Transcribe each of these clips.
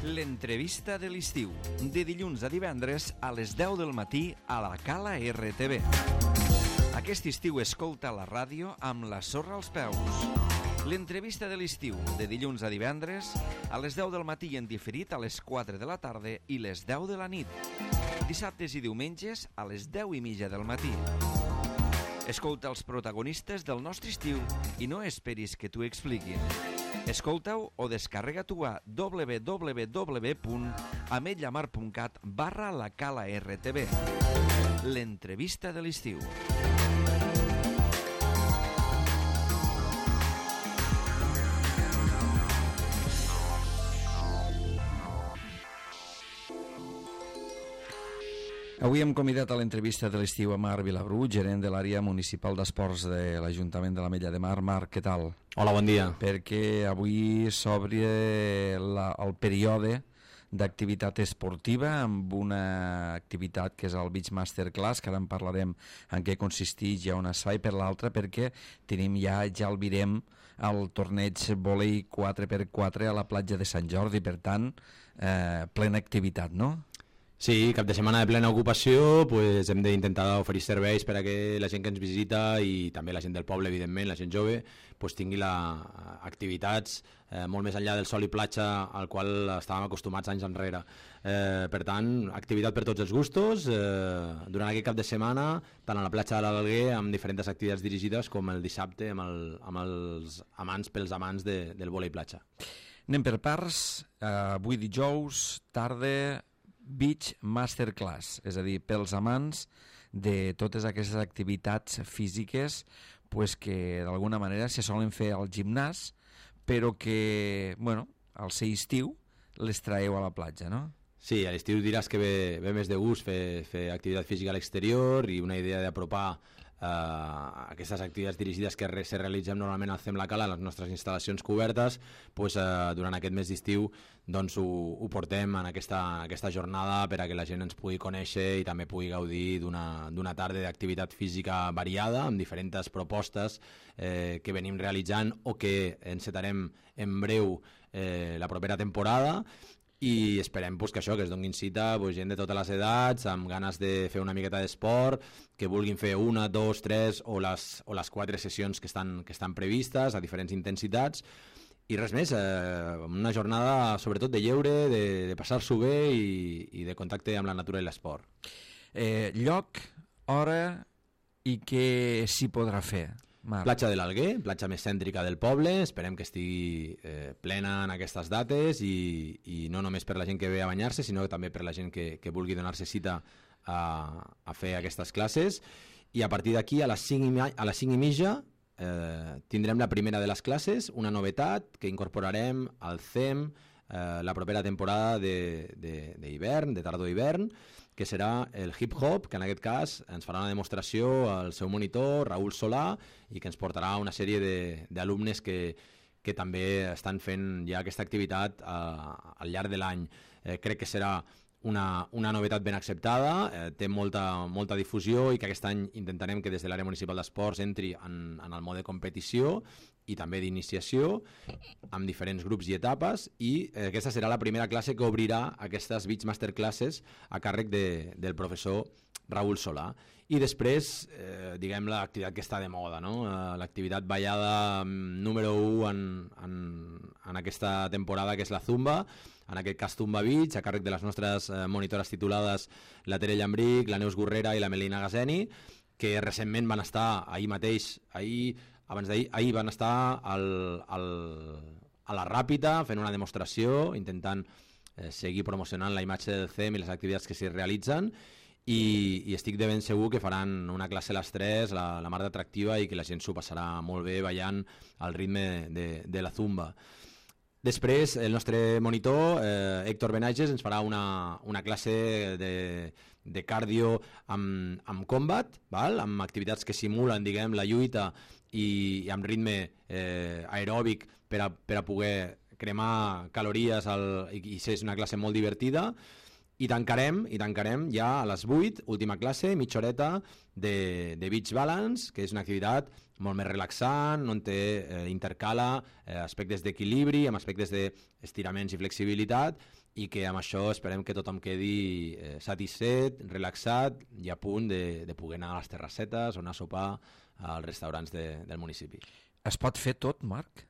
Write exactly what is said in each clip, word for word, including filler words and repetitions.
L'entrevista de l'estiu, de dilluns a divendres a les deu del matí a la Cala R T V. Aquest estiu escolta la ràdio amb la sorra als peus. L'entrevista de l'estiu, de dilluns a divendres a les deu del matí i en diferit a les quatre de la tarda i les deu de la nit. Dissabtes i diumenges a les deu i mitja del matí. Escolta els protagonistes del nostre estiu i no esperis que t'ho expliquin. Escolta-ho o descarrega-t'ho a w w w punt ametlllamar punt cat barra la Cala R T V. L'entrevista de l'estiu. Avui hem convidat a l'entrevista de l'estiu a Marc Vilabrú, gerent de l'àrea municipal d'esports de l'Ajuntament de l'Ametlla de Mar. Marc, què tal? Hola, bon dia. Perquè avui s'obre la, el període d'activitat esportiva amb una activitat que és el Beach Masterclass, que ara en parlarem en què consisteix i on es fa, i per l'altra perquè tenim ja, ja el virem, el torneig vòlei quatre per quatre a la platja de Sant Jordi, per tant, eh, plena activitat, no? Sí, cap de setmana de plena ocupació, pues hem d'intentar oferir serveis per a que la gent que ens visita i també la gent del poble, evidentment, la gent jove, pues tingui la, activitats eh, molt més enllà del sol i platja al qual estàvem acostumats anys enrere. Eh, per tant, activitat per tots els gustos, eh, durant aquest cap de setmana, tant a la platja de l'Alguer, amb diferents activitats dirigides, com el dissabte amb, el, amb els amants pels amants de, del vòlei platja. Anem per parts, eh, avui dijous, tarda, Beach Masterclass, és a dir, pels amants de totes aquestes activitats físiques pues, que d'alguna manera se solen fer al gimnàs, però que, bueno, al ser estiu les traeu a la platja, no? Sí, a l'estiu diràs que ve, ve més de gust fer, fer activitat física a l'exterior i una idea d'apropar Uh, aquestes activitats dirigides que re, se realitzem normalment al C E M La Cala, les nostres instal·lacions cobertes, pues, uh, durant aquest mes d'estiu doncs, ho, ho portem en aquesta, aquesta jornada per a que la gent ens pugui conèixer i també pugui gaudir d'una tarda d'activitat física variada amb diferents propostes eh, que venim realitzant o que encetarem en breu eh, la propera temporada. I esperem pues, que això, que es donin cita pues, gent de totes les edats, amb ganes de fer una miqueta d'esport, que vulguin fer una, dos, tres o les, o les quatre sessions que estan, que estan previstes a diferents intensitats. I res més, eh, una jornada sobretot de lleure, de, de passar-s'ho bé i, i de contacte amb la natura i l'esport. Eh, lloc, hora i què s'hi podrà fer? Marc. Platja de l'Alguer, platja més cèntrica del poble, esperem que estigui eh, plena en aquestes dates i, i no només per la gent que ve a banyar-se, sinó també per la gent que, que vulgui donar-se cita a, a fer aquestes classes. I a partir d'aquí, a les cinc i, a les cinc i mitja, eh, tindrem la primera de les classes, una novetat que incorporarem al C E M eh, la propera temporada d'hivern, de, de, de tardor-hivern, que serà el hip-hop, que en aquest cas ens farà una demostració al seu monitor, Raül Solà, i que ens portarà una sèrie d'alumnes que, que també estan fent ja aquesta activitat eh, al llarg de l'any. Eh, crec que serà una, una novetat ben acceptada, eh, té molta, molta difusió i que aquest any intentarem que des de l'àrea municipal d'esports entri en, en el mode competició i també d'iniciació amb diferents grups i etapes i eh, aquesta serà la primera classe que obrirà aquestes Beach Masterclasses a càrrec de, del professor Raül Solà. I després, eh, diguem, l'activitat que està de moda, no? Eh, l'activitat ballada número u en, en, en aquesta temporada, que és la Zumba, en aquest cas Zumba Beach, a càrrec de les nostres eh, monitores titulades la Tere Llambric, la Neus Gurrera i la Melina Gazeni, que recentment van estar ahir mateix, ahir, abans d'ahir, ahir van estar al, al, a la Ràpita fent una demostració, intentant eh, seguir promocionant la imatge del C E M i les activitats que s'hi realitzen, i, i estic de ben segur que faran una classe a les tres, la, la mar d'atractiva, i que la gent s'ho passarà molt bé ballant al ritme de, de la Zumba. Després, el nostre monitor, eh, Héctor Benages, ens farà una, una classe de, de cardio amb, amb combat, val? Amb activitats que simulen, diguem, la lluita i, i amb ritme eh, aeròbic per a, per a poder cremar calories al, i, i és una classe molt divertida. I tancarem, i tancarem ja a les vuit, última classe, mitja horeta de, de Beach Balance, que és una activitat molt més relaxant, on té, eh, intercala eh, aspectes d'equilibri amb aspectes d'estiraments i flexibilitat, i que amb això esperem que tothom quedi eh, satisfet, relaxat i a punt de, de poder anar a les terrassetes o anar a sopar als restaurants de, del municipi. Es pot fer tot, Marc?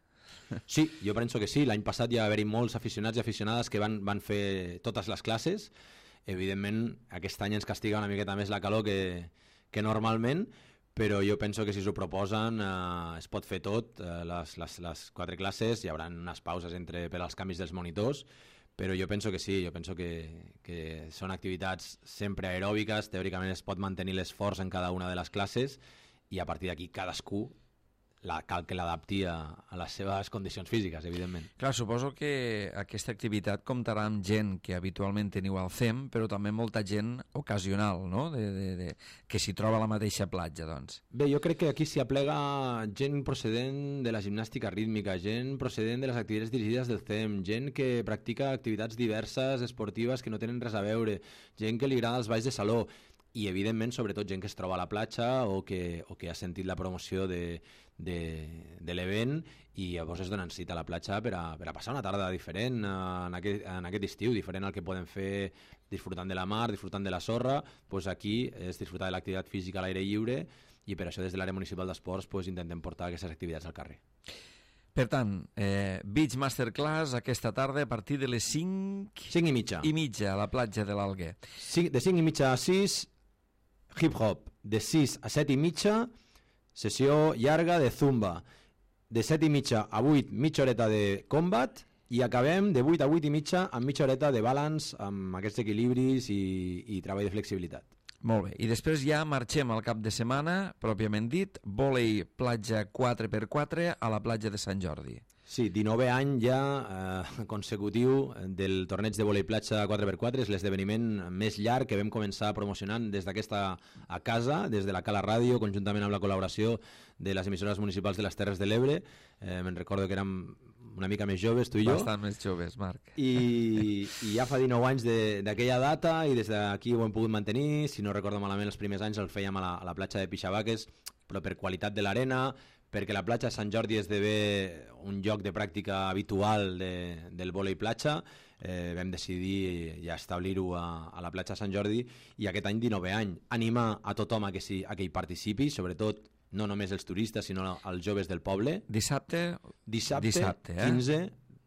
Sí, jo penso que sí. L'any passat ja va haver-hi molts aficionats i aficionades que van, van fer totes les classes. Evidentment, aquest any ens castiga una miqueta més la calor que, que normalment, però jo penso que si s'ho proposen eh, es pot fer tot, eh, les, les, les quatre classes, hi haurà unes pauses entre, per als canvis dels monitors, però jo penso que sí, jo penso que, que són activitats sempre aeròbiques, teòricament es pot mantenir l'esforç en cada una de les classes i a partir d'aquí cadascú la, cal que l'adapti a, a les seves condicions físiques, evidentment. Clar, suposo que aquesta activitat comptarà amb gent que habitualment teniu al C E M, però també molta gent ocasional, no?, de, de, de, que s'hi troba a la mateixa platja, doncs. Bé, jo crec que aquí s'hi aplega gent procedent de la gimnàstica rítmica, gent procedent de les activitats dirigides del C E M, gent que practica activitats diverses, esportives, que no tenen res a veure, gent que li agrada els balls de saló, i evidentment sobretot gent que es troba a la platja o que, o que ha sentit la promoció de, de, de l'event i llavors es donen cita a la platja per a, per a passar una tarda diferent en aquest, en aquest estiu, diferent al que poden fer disfrutant de la mar, disfrutant de la sorra. Pues aquí és disfrutar de l'activitat física a l'aire lliure i per això des de l'àrea municipal d'esports pues, intentem portar aquestes activitats al carrer. Per tant, eh, Beach Masterclass aquesta tarda a partir de les cinc cinc i mitja i mitja a la platja de l'Alguer. De cinc i mitja a sis, hip-hop. De sis a set i mitja, sessió llarga de zumba. De set i mitja a vuit, mitja horeta de combat, i acabem de vuit a vuit i mitja amb mitja horeta de balance, amb aquests equilibris i, i treball de flexibilitat. Molt bé, i després ja marxem al cap de setmana, pròpiament dit, vòlei platja quatre per quatre a la platja de Sant Jordi. Sí, dinovè any ja eh, consecutiu del torneig de vòlei platja quatre per quatre, és l'esdeveniment més llarg que vam començar promocionant des d'aquesta a casa, des de la Cala Ràdio, conjuntament amb la col·laboració de les emissores municipals de les Terres de l'Ebre. Eh, me'n recordo que érem una mica més joves, tu i jo. Bastant més joves, Marc. I, i ja fa dinou anys d'aquella data i des d'aquí ho hem pogut mantenir. Si no recordo malament, els primers anys el fèiem a la, a la platja de Pixabaques, però per qualitat de l'arena, perquè la platja de Sant Jordi esdevé un lloc de pràctica habitual de, del vòlei platja, eh, vam decidir ja establir-ho a, a la platja de Sant Jordi i aquest any dinovè any. Animar a tothom a que, si, a que hi participi, sobretot no només els turistes, sinó els joves del poble. Dissabte? Dissabte, Dissabte eh? quinze,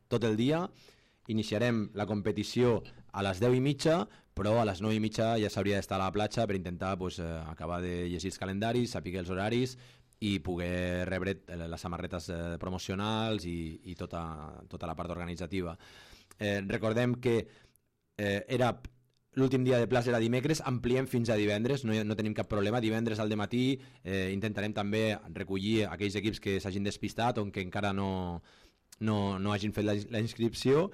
tot el dia. Iniciarem la competició a les deu i mitja, però a les nou i mitja ja s'hauria d'estar a la platja per intentar pues, eh, acabar de llegir els calendaris, saber els horaris i poder rebre les samarretes eh, promocionals i, i tota, tota la part organitzativa. Eh, recordem que eh, era l'últim dia de plaça era dimecres, ampliem fins a divendres, no, no tenim cap problema. Divendres al dematí eh, intentarem també recollir aquells equips que s'hagin despistat o que encara no, no, no hagin fet la, la inscripció.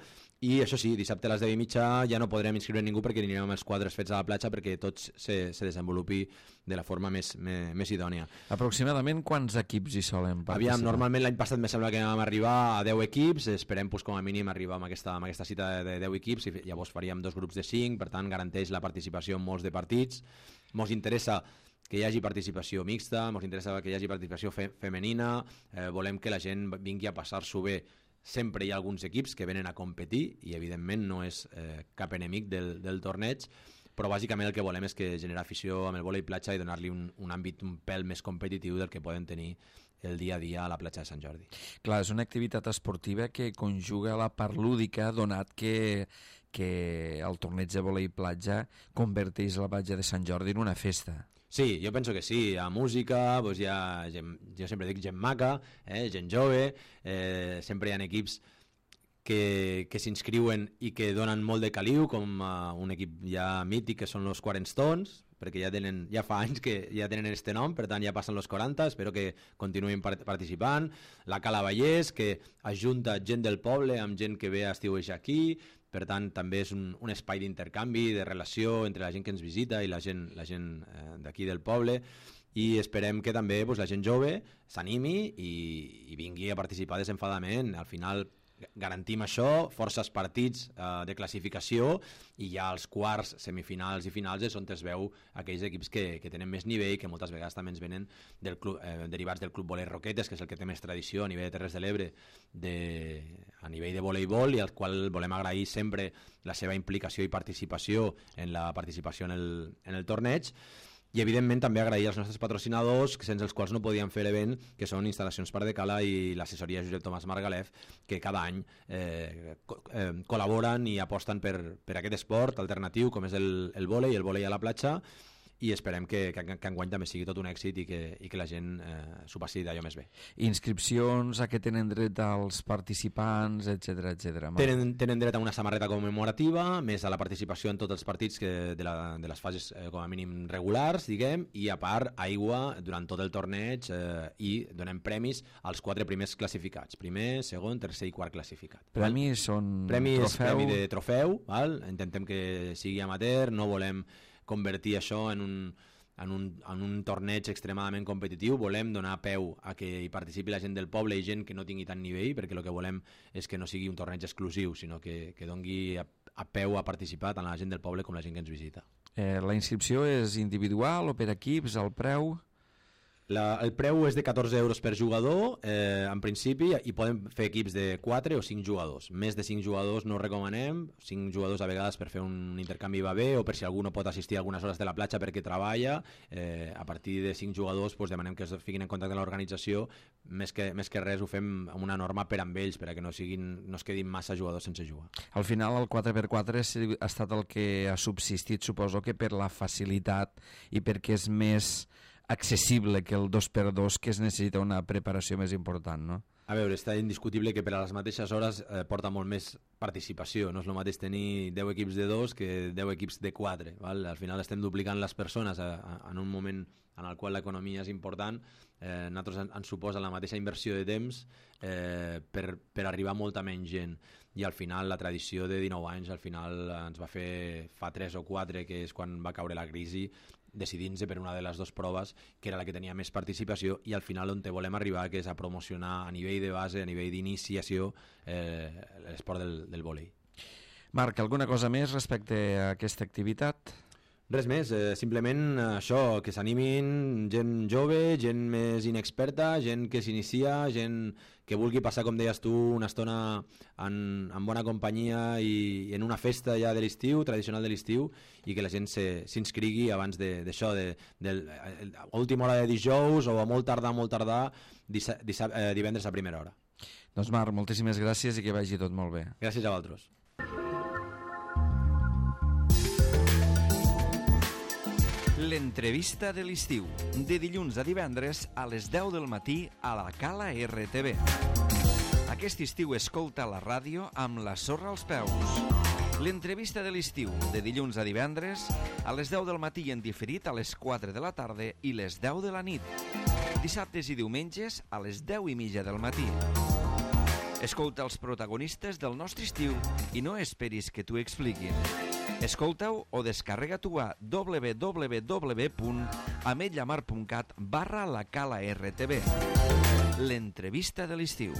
I això sí, dissabte a les deu i mitja ja no podrem inscriure ningú perquè anirem amb els quadres fets a la platja perquè tots se, se desenvolupi de la forma més, més, més idònia. Aproximadament quants equips hi solen participar? Aviam, normalment l'any passat me sembla que vam arribar a deu equips, esperem pues, com a mínim arribar amb aquesta, amb aquesta cita de deu equips i llavors faríem dos grups de cinc, per tant garanteix la participació en molts de partits. Mos interessa que hi hagi participació mixta, ens interessa que hi hagi participació fe femenina, eh, volem que la gent vingui a passar-s'ho bé. Sempre hi ha alguns equips que venen a competir i evidentment no és eh, cap enemic del, del torneig, però bàsicament el que volem és que generar afició amb el vòlei platja i donar-li un, un àmbit un pèl més competitiu del que poden tenir el dia a dia a la platja de Sant Jordi. Clar, és una activitat esportiva que conjuga la part lúdica, donat que, que el torneig de vòlei platja converteix la platja de Sant Jordi en una festa. Sí, jo penso que sí, hi ha música, doncs hi ha gent, jo sempre dic gent maca, eh, gent jove, eh, sempre hi ha equips que, que s'inscriuen i que donen molt de caliu, com uh, un equip ja mític que són los quaranta Stones, perquè ja, tenen, ja fa anys que ja tenen este nom, per tant ja passen los quaranta, espero que continuïn part participant. La Cala Vallès, que ajunta gent del poble amb gent que ve a estiuejar aquí, per tant també és un, un espai d'intercanvi, de relació entre la gent que ens visita i la gent, la gent eh, d'aquí del poble, i esperem que també pues, la gent jove s'animi i, i vingui a participar desenfadament. Al final garantim això, forces partits eh, de classificació, i ja els quarts, semifinals i finals és on es veu aquells equips que, que tenen més nivell, que moltes vegades també ens venen del club, eh, derivats del Club Voler Roquetes, que és el que té més tradició a nivell de Terres de l'Ebre de, a nivell de voleibol, i al qual volem agrair sempre la seva implicació i participació en la participació en el, en el torneig. I evidentment també agrair als nostres patrocinadors, sense els quals no podíem fer l'event, que són Instal·lacions Parc de Cala i l'assessoria Josep Tomàs Margalef, que cada any eh, co eh, col·laboren i aposten per, per aquest esport alternatiu com és el, el vòlei, el vòlei a la platja, i esperem que, que, que enguany també sigui tot un èxit i que, i que la gent eh, s'ho passi d'allò més bé. Inscripcions, a què tenen dret els participants, etcètera, etcètera. Tenen, tenen dret a una samarreta commemorativa, més a la participació en tots els partits que de, la, de les fases eh, com a mínim regulars, diguem, i a part aigua durant tot el torneig eh, i donem premis als quatre primers classificats. Primer, segon, tercer i quart classificat. Premis són premis, trofeu? Premi de trofeu, val? Intentem que sigui amateur, no volem convertir això en un, en, un, en un torneig extremadament competitiu, volem donar peu a que hi participi la gent del poble i gent que no tingui tant nivell, perquè el que volem és que no sigui un torneig exclusiu, sinó que, que dongui a, a peu a participar tant la gent del poble com la gent que ens visita. Eh, la inscripció és individual o per equips, el preu? La, el preu és de catorze euros per jugador, eh, en principi, i podem fer equips de quatre o cinc jugadors. Més de cinc jugadors no ho recomanem, cinc jugadors a vegades per fer un intercanvi va bé, o per si algú no pot assistir a algunes hores de la platja perquè treballa. Eh, a partir de cinc jugadors pues, demanem que es fiquin en contacte amb l'organització, més que, més que res ho fem amb una norma per amb ells, perquè no, siguin, no es quedin massa jugadors sense jugar. Al final el quatre per quatre ha estat el que ha subsistit, suposo que per la facilitat i perquè és més accessible que el dos per dos, que es necessita una preparació més important, no? A veure, està indiscutible que per a les mateixes hores eh, porta molt més participació. No és el mateix tenir deu equips de dos que deu equips de quatre. Val? Al final estem duplicant les persones a, a, en un moment en el qual l'economia és important. Eh, nosaltres en, ens suposa la mateixa inversió de temps eh, per, per arribar a molta menys gent. I al final la tradició de dinou anys al final ens va fer fa tres o quatre, que és quan va caure la crisi, decidint-se per una de les dues proves, que era la que tenia més participació, i al final on te volem arribar, que és a promocionar a nivell de base, a nivell d'iniciació, eh, l'esport del, del vòlei. Marc, alguna cosa més respecte a aquesta activitat? Res més, eh, simplement això, que s'animin gent jove, gent més inexperta, gent que s'inicia, gent que vulgui passar, com deies tu, una estona en, en bona companyia i, i en una festa ja de l'estiu, tradicional de l'estiu, i que la gent s'inscrigui abans d'això, de, de, de, de última hora de dijous o a molt tardar, molt tardar, dissa, dissa, eh, divendres a primera hora. Doncs Marc, moltíssimes gràcies i que vagi tot molt bé. Gràcies a vosaltres. L'entrevista de l'estiu, de dilluns a divendres a les deu del matí a la Cala R T V. Aquest estiu escolta la ràdio amb la sorra als peus. L'entrevista de l'estiu, de dilluns a divendres a les deu del matí en diferit a les quatre de la tarda i les deu de la nit. Dissabtes i diumenges a les deu i mitja del matí. Escolta els protagonistes del nostre estiu i no esperis que t'ho expliquin. Escolta-ho o descarrega-t'ho a w w w punt ametlla mar punt cat barra la Cala R T V. L'entrevista de l'estiu.